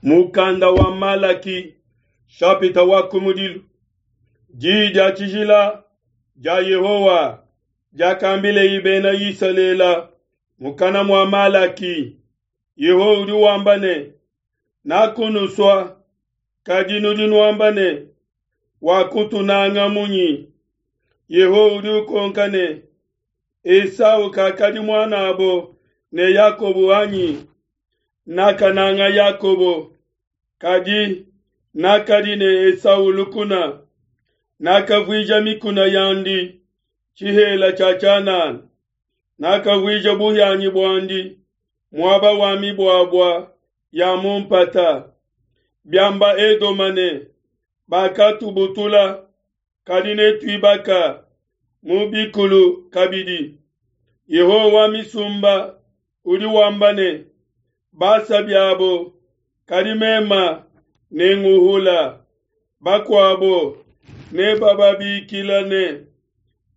Mukanda wa Malaki shapita wa kumudilu Diyi dia tshijila dia Yehowa diakambileye bena Isalele mukana mua Malaki. Yehowa udi wamba ne, Nakunusua, kadi nudi nuamba ne, Wakutunanga munyi? Yehowa udi ukonka ne, Esau kakadi muanabo ne Yakobo anyi? Nakananga Yakobo, kadi nakadi ne Esau lukuna. Nakavuija mikuna yandi tshihela tshia tshianana, nakavuija buhianyi buandi muaba wa mibuabua ya mu mpata. Biamba Edoma ne, Bakatubutula, kadi netuibaka mu bikulu kabidi. Yehowa wa misumba udi wamba ne, Basa biabo, kadi mema nenguhula. Bakuabo nebababikila ne,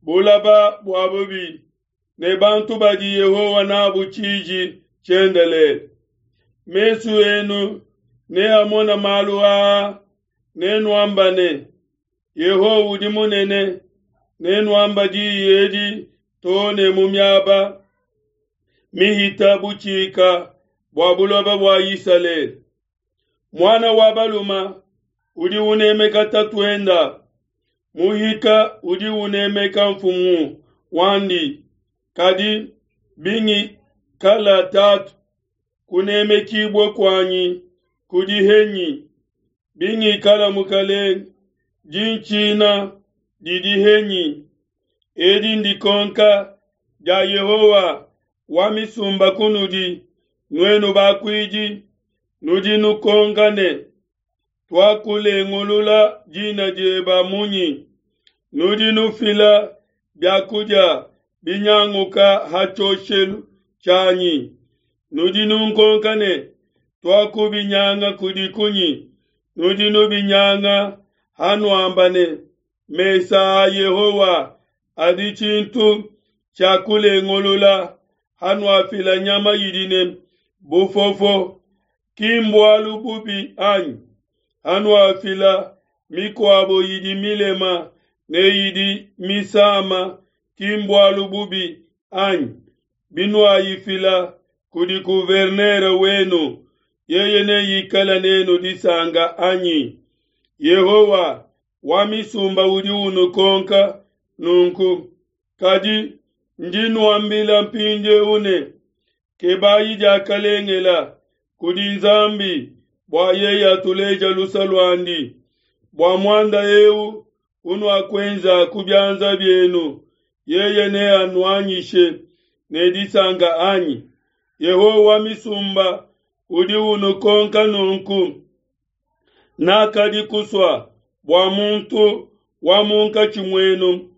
Bulaba bua bubi, ne bantu badi Yehowa nabu tshiji tshiendelele. Mesu enu neamona malu aa, nenuamba ne, Yehowa udi munene, nenuamba diyi edi too ne mu miaba mihita butshika bua buloba bua Isalele. Muana wa baluma udi unemeka tatuenda, muhika udi unemeka mfumu wandi, kadi bingikala tatu, kunemekibua kuanyi kudi henyi? Bingikala mukalenge, dintshina didi henyi? Edi ndikonka dia Yehowa wa misumba kunudi, nuenu bakuidi, nudi nukonka ne, Tuakulengulula dina dieba munyi? Nudi nufila biakudia binyanguka ha tshioshelu tshianyi. Nudi nunkonka ne, Tuakubinyanga kudi kunyi? Nudi nubinyanga hanuamba ne, Mesa a Yehowa adi tshintu tshia kulengulula, hanuafila nyama idi ne bufofo, ki mbualu bubi anyi? Hanuafila mikuabo idi milema ne idi misama, ki mbualu bubi anyi? Binuayifila kudi gouverneur wenu, yeye neikale nenu disanka anyi? Yehowa wa misumba udi unukonka nunku. Kadi ndi nuambila mpindieu ne, Kebayi diakalengela kudi Nzambi bua yeye atuleja lusa luandi. Bua muanda eu unuakuenza ku bianza bienu, yeye neanuanyishe ne disanka anyi? Yehowa wa misumba udi unukonka nunku. Nakadi kusua bua muntu wa munkatshi muenu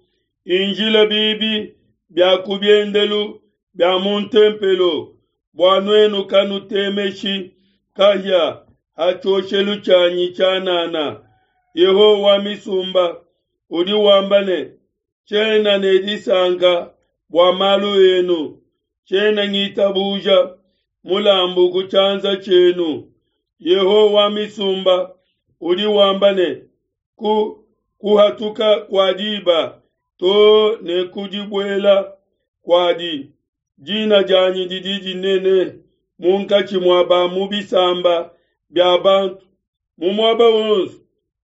injila bibi bia ku biendelu bia mu ntempelo, bua nuenu kanutemeshi kahia ha tshioshelu tshianyi tshianana. Yehowa wa misumba udi wamba ne, Tshiena ne disanka bua malu enu, tshiena ngitabuja mulambu ku tshianza tshienu. Yehowa wa misumba udi wamba ne, Ku kuhatuka kua diba to ne ku dibuela kuadi, dina dianyi didi dinene munkatshi mua ba mu bisamba bia bantu. Mu muaba wonso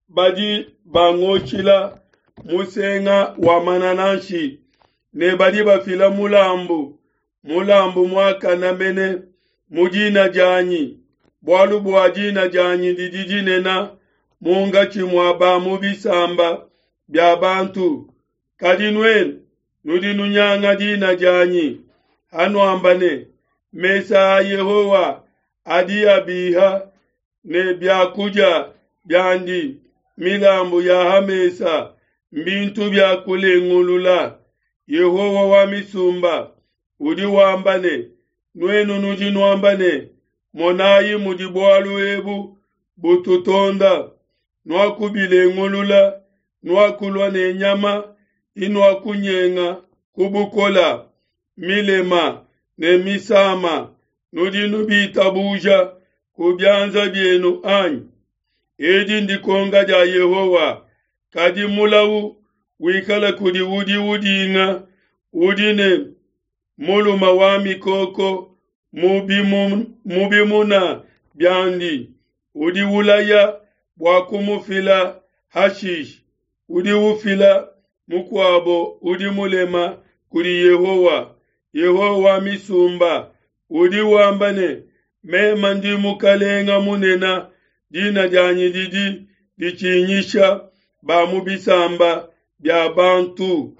badi bangoshila musenga wa manananshi ne badi bafila mulambu, mulambu muakane mene mu dina dianyi, bualu bua dina dianyi didi dinene munkatshi mua ba mu bisamba bia bantu. Kadi nuenu nudi nunyanga dina dianyi, hanuamba ne, Mesa a Yehowa adi abiha ne biakudia biandi, milambu ya ha mesa mbintu bia kulengulula. Yehowa wa misumba udi wamba ne, Nuenu nudi nuamba ne, Monayi mudi bualu ebu bututonda, nuakubilengulula, nuakulua ne nyama inuakunyenga ku bukola, milema ne misama, nudi nubitabuja. ku bianza bienu anyi? Edi ndikonka dia Yehowa. Kadi mulawu wikale kudi udi udinga, udi ne mulume wa mikoko mu bimuna biandi, udi ulaya bua kumufila hashishe, udi ufila mukuabo udi mulema kudi Yehowa. Yehowa wa misumba udi wamba ne, Meme ndi mukalenga munene, dina dianyi didi ditshinyisha ba mu bisamba bia bantu.